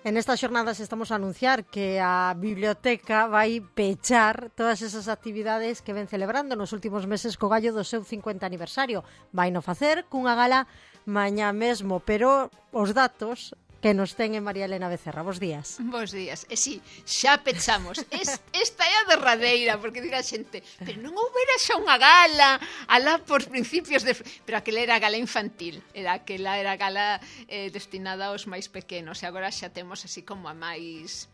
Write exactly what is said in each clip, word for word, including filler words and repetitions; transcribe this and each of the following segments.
En estas xornadas estamos a anunciar que a biblioteca vai pechar todas esas actividades que ven celebrando nos últimos meses co gallo do seu cincuenta aniversario. Vai no facer cunha gala mañá mesmo, pero os datos que nos ten en María Elena Becerra. Bos días. Bos días. E si, xa pechamos. Es, esta é a derradeira, porque dirá a xente, pero non houbera xa unha gala alá por principios de... Pero aquela era gala infantil, era aquela era gala eh, destinada aos máis pequenos, e agora xa temos así como a máis...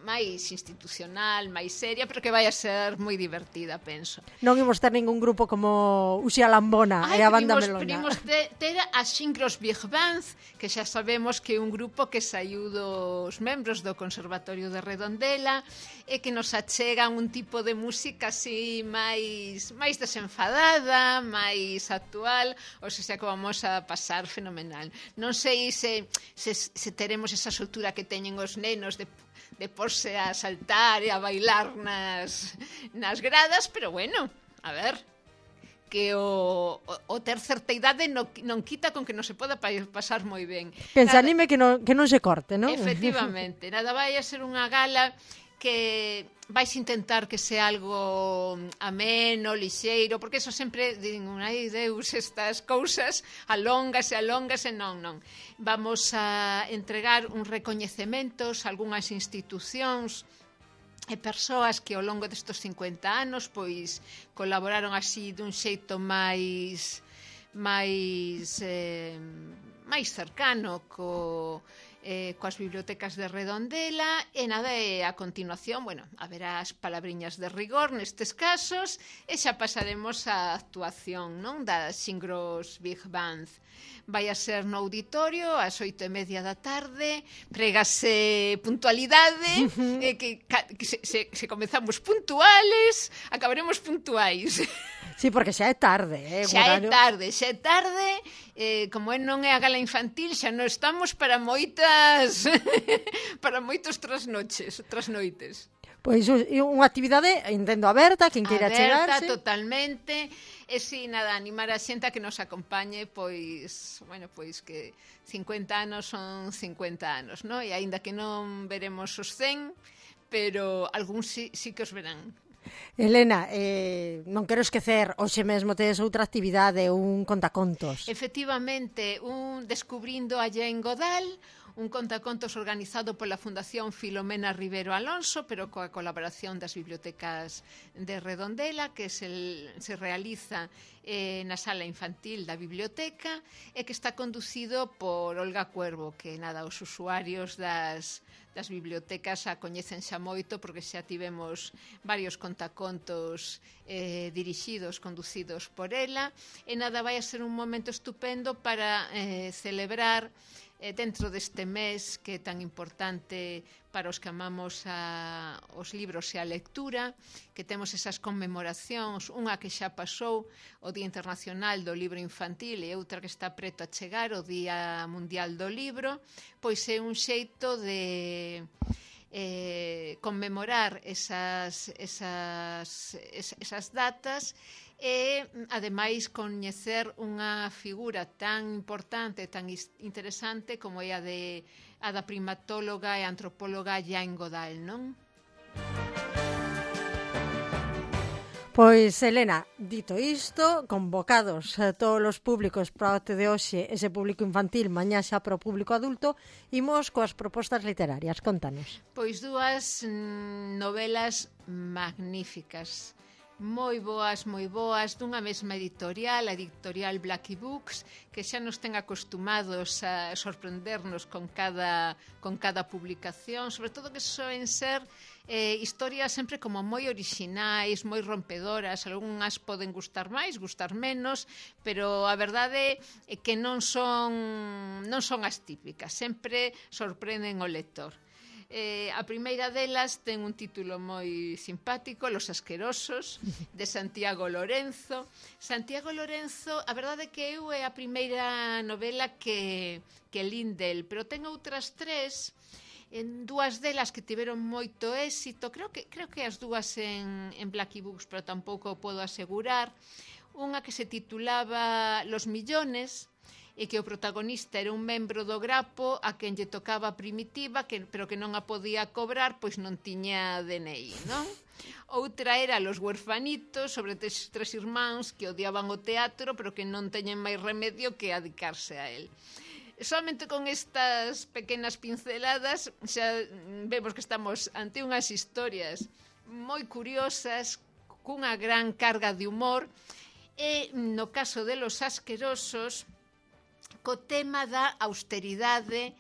máis institucional, máis seria, pero que vai a ser moi divertida, penso. Non imos ter ningún grupo como Uxía Lambona e a banda Melona. Primos ter, ter a Xincros Big Band, que xa sabemos que é un grupo que saiu dos membros do Conservatorio de Redondela e que nos achegan un tipo de música así máis máis desenfadada, máis actual, ou se xa que vamos a pasar fenomenal. Non sei se, se, se teremos esa soltura que teñen os nenos de de porse a saltar e a bailar nas, nas gradas, pero bueno, a ver, que o, o, o ter certa idade non, non quita con que non se poda pasar moi ben. Que se anime que non, que non se corte, non? Efectivamente, nada vai a ser unha gala que vais intentar que sea algo ameno, lixeiro, porque eso sempre din, ai Deus, estas cousas alongas e alongas e non, non. Vamos a entregar uns recoñecementos a algunhas institucións e persoas que ao longo destes cincuenta anos pois colaboraron así dun xeito máis máis eh, máis cercano co Eh, coas bibliotecas de Redondela e nada, e a continuación, bueno, haberá as palabriñas de rigor nestes casos e xa pasaremos á actuación, non, da Xincros Big Band. Vai a ser no auditorio ás oito e media da tarde, pregase puntualidade, uh-huh. eh, que, que se, se, se comezamos puntuales, acabaremos puntuais. Sí, porque xa é tarde, eh? Xa é tarde, xa é tarde, eh, como é non é a gala infantil, xa non estamos para moitas para moitos trasnoches, trasnoites. Pois unha actividade, entendo, aberta, quen queira chegarse. Aberta, totalmente. E si, nada, animar a xente a que nos acompañe, pois, bueno, pois que cincuenta anos son cincuenta anos, non? E aínda que non veremos os cen, pero algúns sí, sí que os verán. Elena, eh, non quero esquecer, hoxe mesmo tedes outra actividade, un contacontos. Efectivamente, un Descubrindo a Jane Goodall, un contacontos organizado pola Fundación Filomena Rivero Alonso, pero coa colaboración das bibliotecas de Redondela, que se, se realiza eh, na sala infantil da biblioteca e que está conducido por Olga Cuervo, que nada, os usuarios das das bibliotecas a coñecen xa moito porque xa tivemos varios contacontos eh, dirixidos, conducidos por ela, e nada, vai a ser un momento estupendo para eh, celebrar eh, dentro deste mes que é tan importante para os que amamos a, os libros e a lectura, que temos esas conmemoracións, unha que xa pasou, o Día Internacional do Libro Infantil, e outra que está preto a chegar, o Día Mundial do Libro, pois é un xeito de eh, conmemorar esas, esas, esas datas e, ademais, coñecer unha figura tan importante, tan interesante como é a de a da primatóloga e antropóloga Jane Goodall, non? Pois, Elena, dito isto, convocados a todos os públicos para o acto de hoxe, ese público infantil, mañá xa para o público adulto, imos coas propostas literarias, contanos. Pois dúas mm, novelas magníficas, moi boas, moi boas, dunha mesma editorial, a editorial Blackie Books, que xa nos ten acostumados a sorprendernos con cada, con cada publicación, sobre todo que soen ser eh, historias sempre como moi orixinais, moi rompedoras, algunhas poden gustar máis, gustar menos, pero a verdade é que non son, non son as típicas, sempre sorprenden o lector. Eh, a primeira delas ten un título moi simpático, Los asquerosos, de Santiago Lorenzo. Santiago Lorenzo, a verdade é que eu é a primeira novela que, que lín del, pero ten outras tres, en dúas delas que tiveron moito éxito, creo que, creo que as dúas en, en Blackie Books, pero tampouco podo asegurar. Unha que se titulaba Los millones, e que o protagonista era un membro do grapo a quen lle tocaba a primitiva, que, pero que non a podía cobrar, pois non tiña D N I, non? Outra era Los huerfanitos, sobre tres, tres irmáns que odiaban o teatro, pero que non teñen máis remedio que dedicarse a él. Solamente con estas pequenas pinceladas xa vemos que estamos ante unhas historias moi curiosas, cunha gran carga de humor, e no caso de Los asquerosos, co tema da austeridade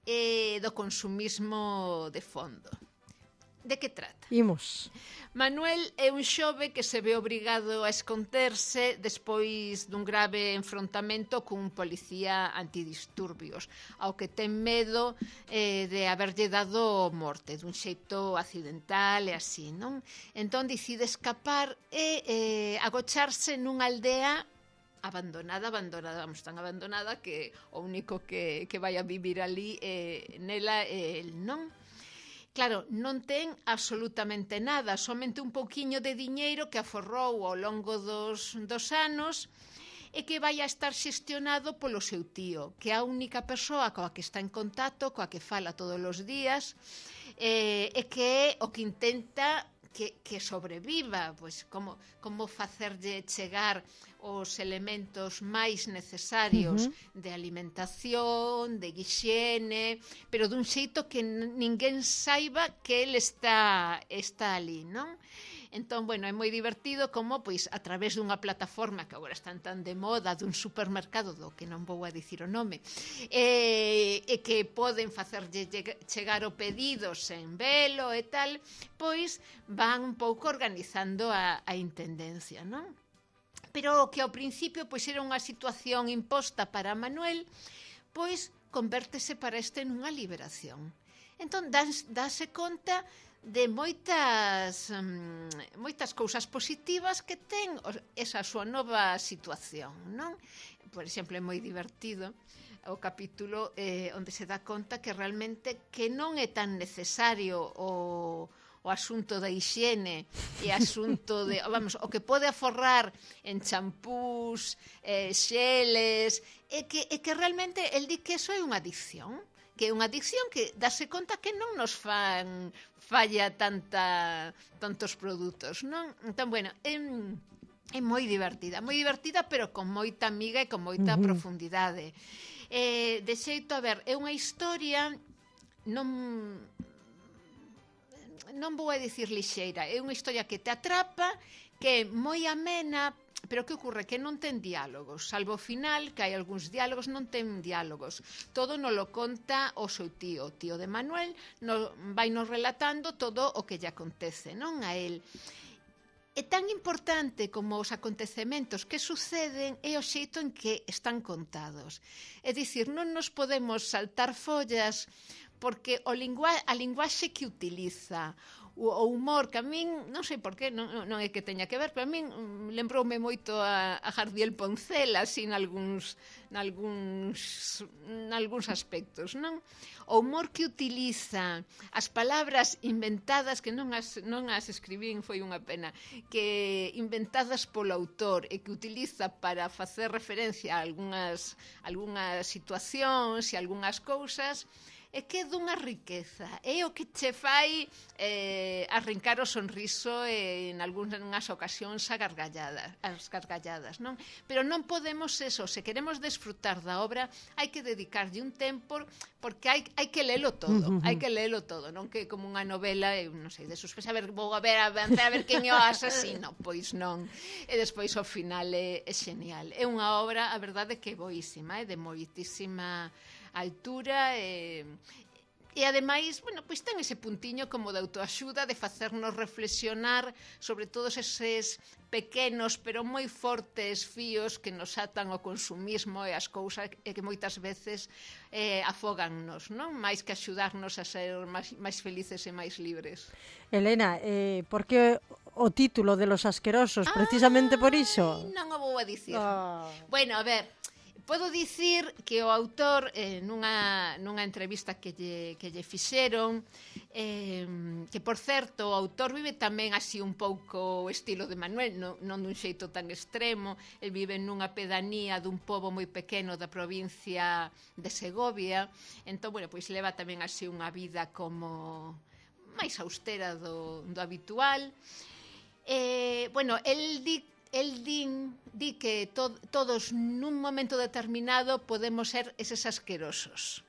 e do consumismo de fondo. De que trata? Imos. Manuel é un xove que se ve obrigado a esconderse despois dun grave enfrontamento cun policía antidisturbios, ao que ten medo eh, de haberlle dado morte dun xeito accidental e así, non? Entón decide escapar e eh, agocharse nunha aldea abandonada, abandonada, vamos, tan abandonada que o único que, que vai a vivir ali eh, nela é el, non? Claro, non ten absolutamente nada, somente un pouquiño de diñeiro que aforrou ao longo dos, dos anos e que vai a estar xestionado polo seu tío, que é a única persoa coa que está en contacto, coa que fala todos os días, eh, e que é o que intenta que, que sobreviva, pois como, como facerlle chegar os elementos máis necesarios uh-huh. de alimentación, de higiene, pero dun xeito que ninguén saiba que el está, está ali, non? Entón, bueno, é moi divertido como, pois, a través dunha plataforma que agora están tan de moda, dun supermercado do que non vou a dicir o nome, e, e que poden facerlle chegar o pedido sen velo e tal, pois van un pouco organizando a, a intendencia, non? Pero que ao principio pois era unha situación imposta para Manuel, pois convértese para este nunha liberación. Entón, dáse conta de moitas um, moitas cousas positivas que ten esa súa nova situación, non? Por exemplo, é moi divertido o capítulo eh, onde se dá conta que realmente que non é tan necesario o o asunto da hixiene e asunto de, vamos, o que pode aforrar en champús, eh, xeles, é que, é que realmente el di que eso é unha adicción, que é unha adicción que dáse conta que non nos fan falla tanta, tantos produtos, non? Entón, bueno, é, é moi divertida, moi divertida, pero con moita amiga e con moita uh-huh. profundidade. Eh, de xeito, a ver, é unha historia non... non vou a dicir lixeira, é unha historia que te atrapa, que é moi amena, pero que ocorre? Que non ten diálogos, salvo o final, que hai algúns diálogos, non ten diálogos. Todo nos lo conta o seu tío, o tío de Manuel, no, vai nos relatando todo o que lle acontece, non a él. É tan importante como os acontecementos que suceden é o xeito en que están contados. É dicir, non nos podemos saltar follas porque o lingua, a linguaxe que utiliza, o, o humor, que a min, non sei por qué, non, non é que teña que ver, pero a min um, lembroume moito a, a Jardiel Poncela, así, nalgúns, nalgúns, nalgúns aspectos, non? O humor que utiliza, as palabras inventadas, que non as, non as escribín, foi unha pena, que inventadas polo autor e que utiliza para facer referencia a algunhas, algunhas situacións e algunhas cousas, é que é dunha riqueza, é o que che fai eh, arrincar o sonriso e en algunhas ocasións a gargalladas, as gargalladas, non? Pero non podemos eso, se queremos desfrutar da obra, hai que dedicarlle un tempo, porque hai, hai que lelo todo, uh-huh. hai que lelo todo, non que como unha novela, eu non sei, de suspense, a ver, vou a ver, avanzar, a ver quen é o asasino, pois non, e despois ao final é, é genial. É unha obra, a verdade, que é boísima, é de moitísima altura e, e ademais, bueno, pois ten ese puntiño como de autoaxuda, de facernos reflexionar sobre todos eses pequenos pero moi fortes fíos que nos atan ao consumismo e as cousas e que moitas veces eh, afógannos, non? Mais que axudarnos a ser máis, máis felices e máis libres. Elena, eh, por que o título de Los asquerosos? Precisamente por iso? Non o vou a dicir. Oh. Bueno, a ver, Podo dicir que o autor, eh, nunha, nunha entrevista que lle, que lle fixeron, eh, que, por certo, o autor vive tamén así un pouco estilo de Manuel, non, non dun xeito tan extremo. El vive nunha pedanía dun pobo moi pequeno da provincia de Segovia. Entón, bueno, pois leva tamén así unha vida como máis austera do, do habitual. Eh, bueno, el di, el din, di que to, todos nun momento determinado podemos ser eses asquerosos,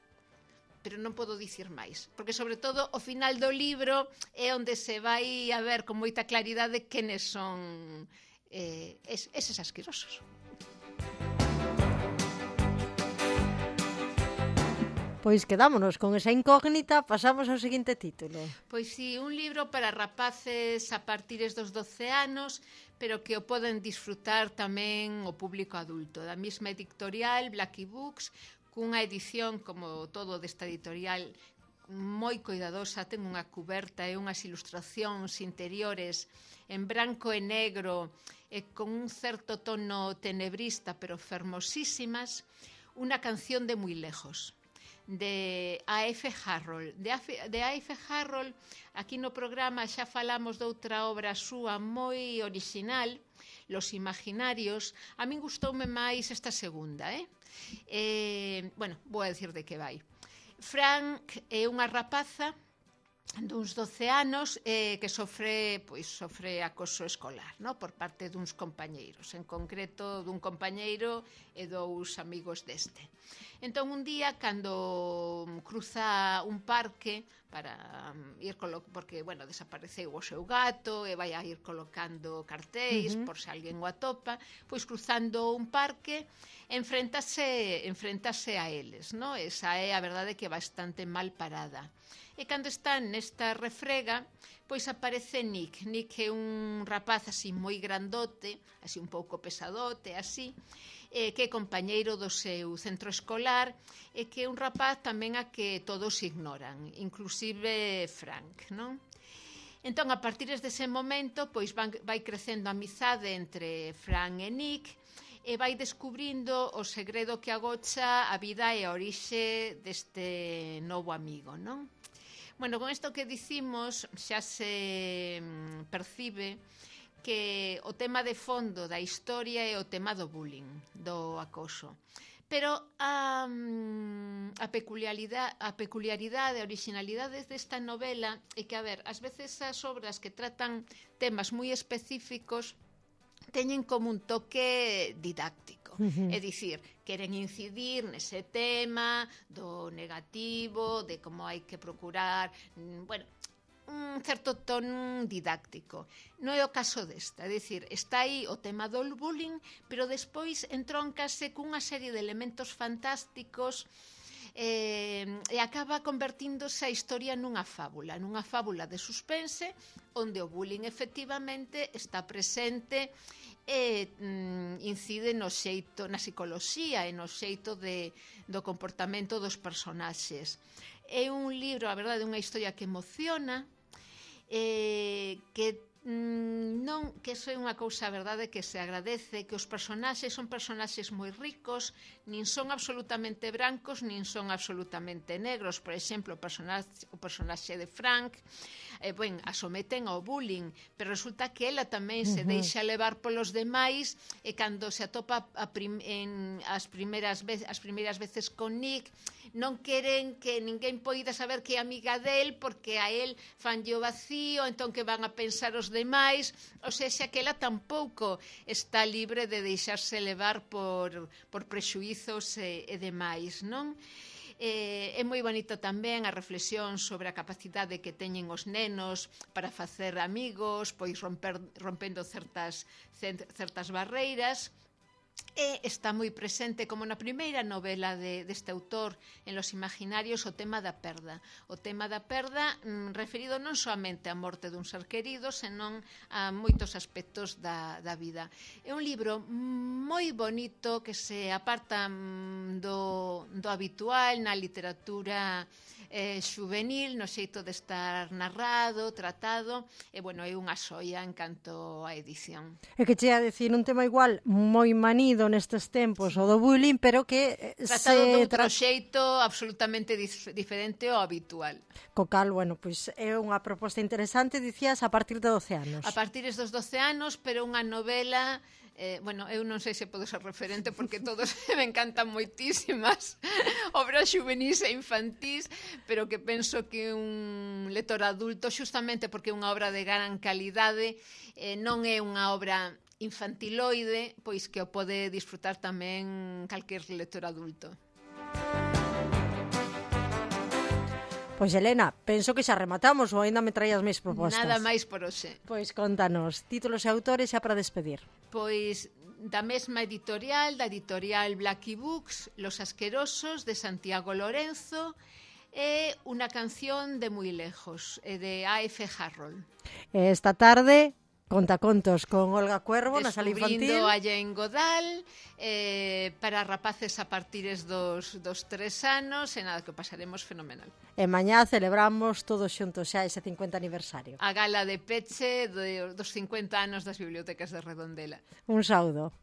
pero non podo dicir máis, porque sobre todo o final do libro é onde se vai a ver con moita claridade quenes son eh, es, eses asquerosos. Pois quedámonos con esa incógnita, pasamos ao seguinte título. Pois si, un libro para rapaces a partires dos doce anos, pero que o poden disfrutar tamén o público adulto. Da mesma editorial, Blackie Books, cunha edición, como todo desta editorial, moi coidadosa, ten unha cuberta e unhas ilustracións interiores en branco e negro, e con un certo tono tenebrista, pero fermosísimas, unha canción de moi lejos, de A F Harrold. De A F, de A F Harrold, aquí no programa xa falamos de outra obra súa moi original, Los Imaginarios. A min gustoume máis esta segunda, eh? eh bueno, vou a decir de que vai. Frank é unha rapaza duns doce anos eh, que sofre, pois, sofre acoso escolar, no? Por parte duns compañeiros, en concreto dun compañeiro e dous amigos deste. Entón, un día, cando cruza un parque para ir colo... porque, bueno, desapareceu o seu gato e vai a ir colocando cartéis uh-huh. por se alguén o atopa, pois cruzando un parque enfréntase, enfréntase a eles, no? Esa é a verdade que é bastante mal parada. E cando están nesta refrega, pois aparece Nick. Nick é un rapaz así moi grandote, así un pouco pesadote, así, eh, que é compañeiro do seu centro escolar, e que é un rapaz tamén a que todos ignoran, inclusive Frank, non? Entón, a partir dese momento, pois van, vai crecendo a amizade entre Frank e Nick, e vai descubrindo o segredo que agocha a vida e a orixe deste novo amigo, non? Bueno, con isto que dicimos xa se percibe que o tema de fondo da historia é o tema do bullying, do acoso. Pero a, a peculiaridade, a peculiaridade, a originalidade desta novela é que, a ver, ás veces as obras que tratan temas moi específicos teñen como un toque didáctico. Uh-huh. É dicir, queren incidir nese tema do negativo, de como hai que procurar, bueno, un certo ton didáctico. Non é o caso desta, é dicir, está aí o tema do bullying, pero despois entróncase cunha serie de elementos fantásticos eh, e acaba convertíndose a historia nunha fábula, nunha fábula de suspense, onde o bullying efectivamente está presente e mm, incide no xeito, na psicoloxía e no xeito de, do comportamento dos personaxes. É un libro, a verdade, unha historia que emociona, eh, que mm, non, que iso é unha cousa, a verdade, que se agradece, que os personaxes son personaxes moi ricos, nin son absolutamente brancos, nin son absolutamente negros. Por exemplo, o personaxe, o personaxe de Frank, eh, ben, a someten ao bullying, pero resulta que ela tamén se deixa levar polos demais, e cando se atopa a prim, en as primeiras veces, as primeiras veces con Nick, non queren que ninguén poida saber que é amiga del, porque a él fanlle o vacío, entón que van a pensar os demais, ou seja, que ela tampouco está libre de deixarse levar por, por prexuizos e, e demais, non? Eh, é moi bonito tamén a reflexión sobre a capacidade que teñen os nenos para facer amigos, pois romper, rompendo certas, certas barreiras. E está moi presente, como na primeira novela de, deste autor, en Los Imaginarios, o tema da perda. O tema da perda mm, referido non soamente á morte dun ser querido, senón a moitos aspectos da, da vida. É un libro moi bonito que se aparta mm, do, do habitual na literatura eh, xuvenil, no xeito de estar narrado, tratado, e, bueno, é unha xoia en canto a edición. É que che a decir un tema igual moi manido nestes tempos, o do bullying, pero que Tratado se de outro tra... xeito absolutamente dif diferente ao habitual. Co cal, bueno, pois é unha proposta interesante, dicías, a partir de doce anos. A partir dos doce anos, pero unha novela... Eh, bueno, eu non sei se podo ser referente porque todos me encantan moitísimas obras juvenis e infantís, pero que penso que un lector adulto, justamente porque é unha obra de gran calidade, eh, non é unha obra infantiloide, pois que o pode disfrutar tamén calquer lector adulto. Pois, Elena, penso que xa rematamos ou aínda me traías máis propostas. Nada máis por hoxe. Pois contanos, títulos e autores xa para despedir. Pois da mesma editorial, da editorial Blacky Books, Los Asquerosos, de Santiago Lorenzo, e Una canción de moi lejos, de A F Harrold. Esta tarde, contacontos con Olga Cuervo na sala infantil. Descubrindo a Jane Goodall, eh, para rapaces a partires dos, dos tres anos, e nada, que pasaremos fenomenal. E mañá celebramos todos xuntos xa ese cincuenta aniversario. A gala de peche de, dos cincuenta anos das bibliotecas de Redondela. Un saúdo.